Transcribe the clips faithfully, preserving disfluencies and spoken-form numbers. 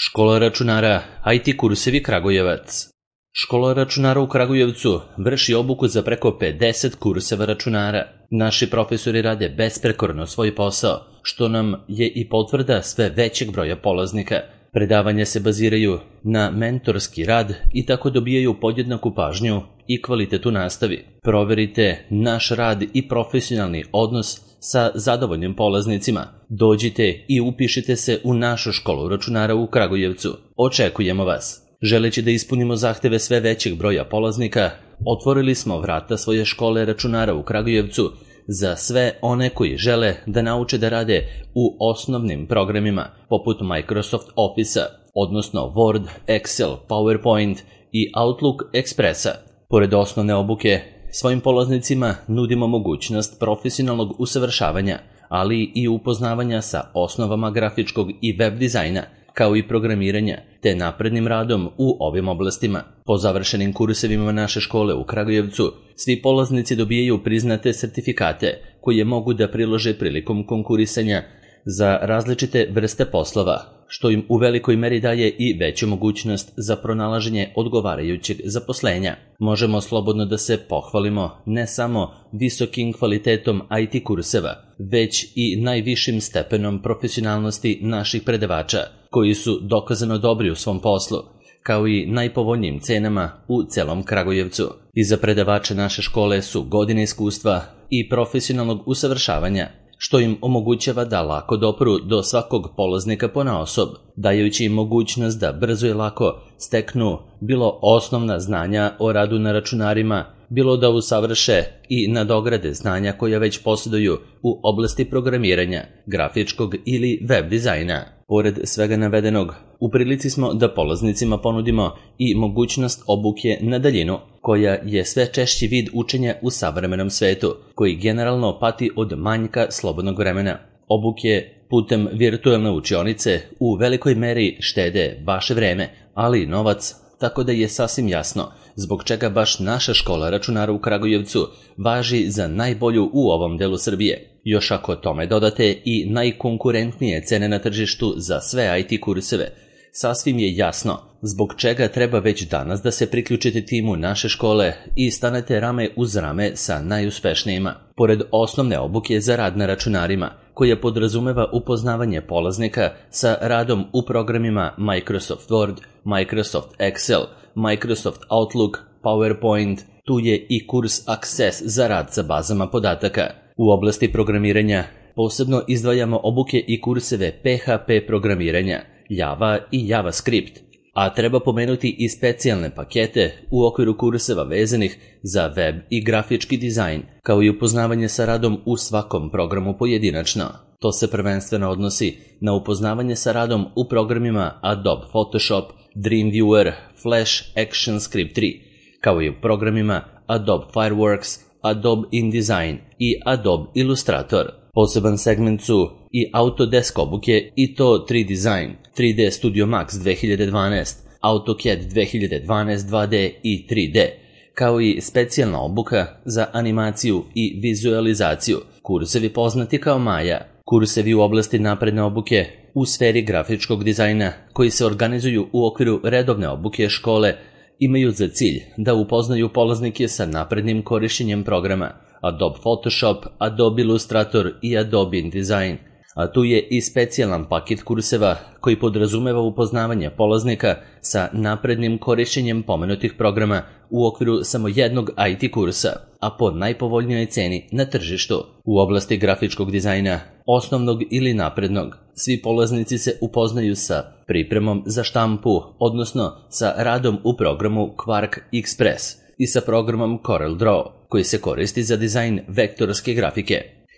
Škola računara I T kursevi Kragujevac. Škola računara u Kragujevcu vrši obuku za preko pedeset kurseva računara. Naši profesori rade besprekorno svoj posao, što nam je i potvrda sve većeg broja polaznika. Predavanja se baziraju na mentorski rad i tako dobijaju podjednaku pažnju i kvalitet u nastavi. Proverite naš rad i profesionalni odnos sa zadovoljnim polaznicima. Dođite i upišite se u našu školu računara u Kragujevcu. Očekujemo vas. Želeći da ispunimo zahteve sve većeg broja polaznika, otvorili smo vrata svoje škole računara u Kragujevcu za sve one koji žele da nauče da rade u osnovnim programima poput Microsoft Office-a, odnosno Word, Excel, PowerPoint i Outlook Expressa. Pored osnovne obuke, svojim polaznicima nudimo mogućnost profesionalnog usavršavanja, ali i upoznavanja sa osnovama grafičkog i web dizajna, kao i programiranja, te naprednim radom u ovim oblastima. Po završenim kursevima naše škole u Kragujevcu, svi polaznici dobijaju priznate sertifikate koje mogu da prilože prilikom konkurisanja za različite vrste poslova, što im u velikoj meri daje i veću mogućnost za pronalaženje odgovarajućeg zaposlenja. Možemo slobodno da se pohvalimo ne samo visokim kvalitetom I T kurseva, već i najvišim stepenom profesionalnosti naših predavača, koji su dokazano dobri u svom poslu, kao i najpovoljnijim cenama u celom Kragujevcu. Iza predavača naše škole su godine iskustva i profesionalnog usavršavanja, što im omogućava da lako dopru do svakog polaznika ponaosob, dajući im mogućnost da brzo i lako steknu bilo osnovna znanja o radu na računarima, bilo da usavrše i nadograde znanja koja već posjeduju u oblasti programiranja, grafičkog ili web dizajna. Pored svega navedenog, u prilici smo da polaznicima ponudimo i mogućnost obuke na daljinu, koja je sve češći vid učenja u savremenom svetu, koji generalno pati od manjka slobodnog vremena. Obuke putem virtualne učionice u velikoj meri štede vaše vreme, ali i novac, tako da je sasvim jasno zbog čega baš naša škola računara u Kragujevcu važi za najbolju u ovom delu Srbije. Još ako tome dodate i najkonkurentnije cene na tržištu za sve I T kurseve, sasvim je jasno zbog čega treba već danas da se priključite timu naše škole i stanete rame uz rame sa najuspešnijima. Pored osnovne obuke za rad na računarima, koja podrazumeva upoznavanje polaznika sa radom u programima Microsoft Word, Microsoft Excel, Microsoft Outlook, PowerPoint, tu je i kurs Access za rad sa bazama podataka. U oblasti programiranja posebno izdvajamo obuke i kurseve P H P programiranja, Java i JavaScript, a treba pomenuti i specijalne pakete u okviru kurseva vezanih za web i grafički dizajn, kao i upoznavanje sa radom u svakom programu pojedinačno. To se prvenstveno odnosi na upoznavanje sa radom u programima Adobe Photoshop, Dreamweaver, Flash ActionScript tri, kao i u programima Adobe Fireworks, Adobe InDesign i Adobe Illustrator. Poseban segment su i Autodesk obuke i to tri Design, tri D Studio Max dve hiljade dvanaest, AutoCAD dve hiljade dvanaest dva D i tri D, kao i specijalna obuka za animaciju i vizualizaciju, kursevi poznati kao Maya, kursevi u oblasti napredne obuke u sferi grafičkog dizajna koji se organizuju u okviru redovne obuke škole, imaju za cilj da upoznaju polaznike sa naprednim korišćenjem programa Adobe Photoshop, Adobe Illustrator i Adobe InDesign, a tu je i specijalan paket kurseva koji podrazumeva upoznavanje polaznika sa naprednim korišćenjem pomenutih programa u okviru samo jednog I T kursa, a po najpovoljnijoj ceni na tržištu. U oblasti grafičkog dizajna, osnovnog ili naprednog, svi polaznici se upoznaju sa pripremom za štampu, odnosno sa radom u programu Quark Express i sa programom CorelDRAW, koji se koristi za dizajn vektorske grafike.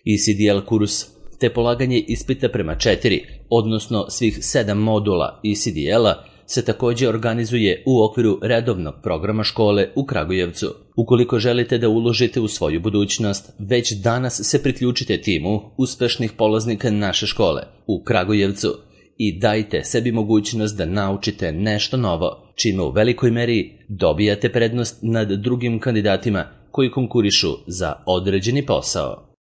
E C D L kurs, te polaganje ispita prema četiri, odnosno svih sedam modula E C D L-a, se također organizuje u okviru redovnog programa škole u Kragujevcu. Ukoliko želite da uložite u svoju budućnost, već danas se priključite timu uspešnih polaznika naše škole u Kragujevcu i dajte sebi mogućnost da naučite nešto novo, čime u velikoj meri dobijate prednost nad drugim kandidatima koji konkurišu za određeni posao.